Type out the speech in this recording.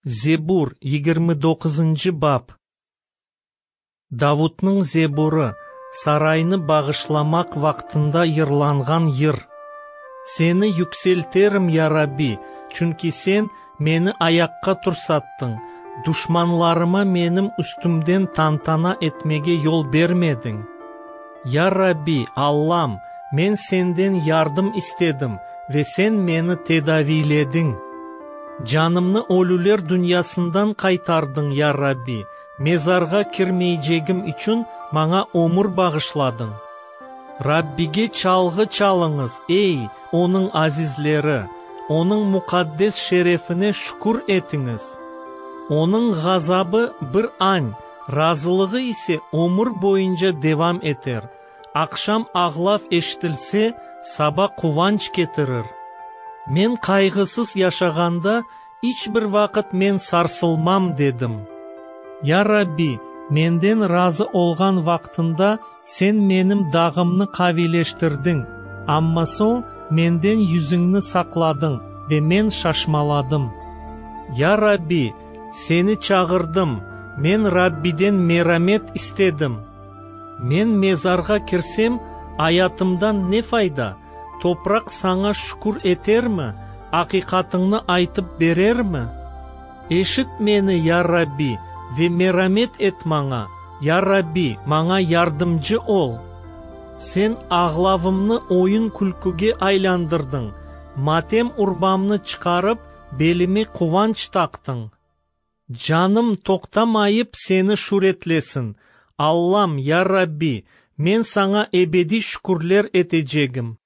Zebur, 29-cı bap. Davutnıñ Zeburı, saraynı bağışlamaq vaqtında yırlanğan yır. Seni yükselterim, ya Rabbi, çünki Sen meni ayaqqa tursattıñ, duşmanlarıma menim üstümden tantana etmege yol bermediñ. Ya Rabbi, Allam, men Senden yardım istedim, ve Sen meni tedaviylediñ. Canımnı ölüler dünyasından qaytardıñ, ya Rabbi, mezarğa kirmeycegim içün maña ömür bağışladıñ. Rabbige çalğı çalıñız, ey, Onıñ azizleri, Onıñ muqaddes şerefine şükür etiñiz. Onıñ ğazabı bir añ, razılığı ise ömür boyunca devam eter. Aqşam ağlav eşitilse, saba quvanç ketirir. Men qayğısız yaşağanda, iç bir vaqıt men sarsılmam, dedim. Ya Rabbi, menden razı olğan vaqtında Sen menim dağımnı qaviyleştirdiñ, amma soñ menden yüzüñni saqladıñ ve men şaşmaladım. Ya Rabbi, Seni çağırdım, men Rabbiden meramet istedim. Men mezarğa kirsem, ayatımdan ne fayda? Topraq Saña şükür etermi, aqiqatıñnı aytıp berermi? Eşit meni, ya Rabbi, ve meramet et maña, ya Rabbi, maña yardımcı ol! Sen ağlavımnı oyun-külküge aylandırdıñ, matem urbamnı çıqarıp, belime quvanç taqtıñ. Canım toqtamayıp Seni şüretlesin, Allam, ya Rabbi, men Saña ebediy şükürler etecegim.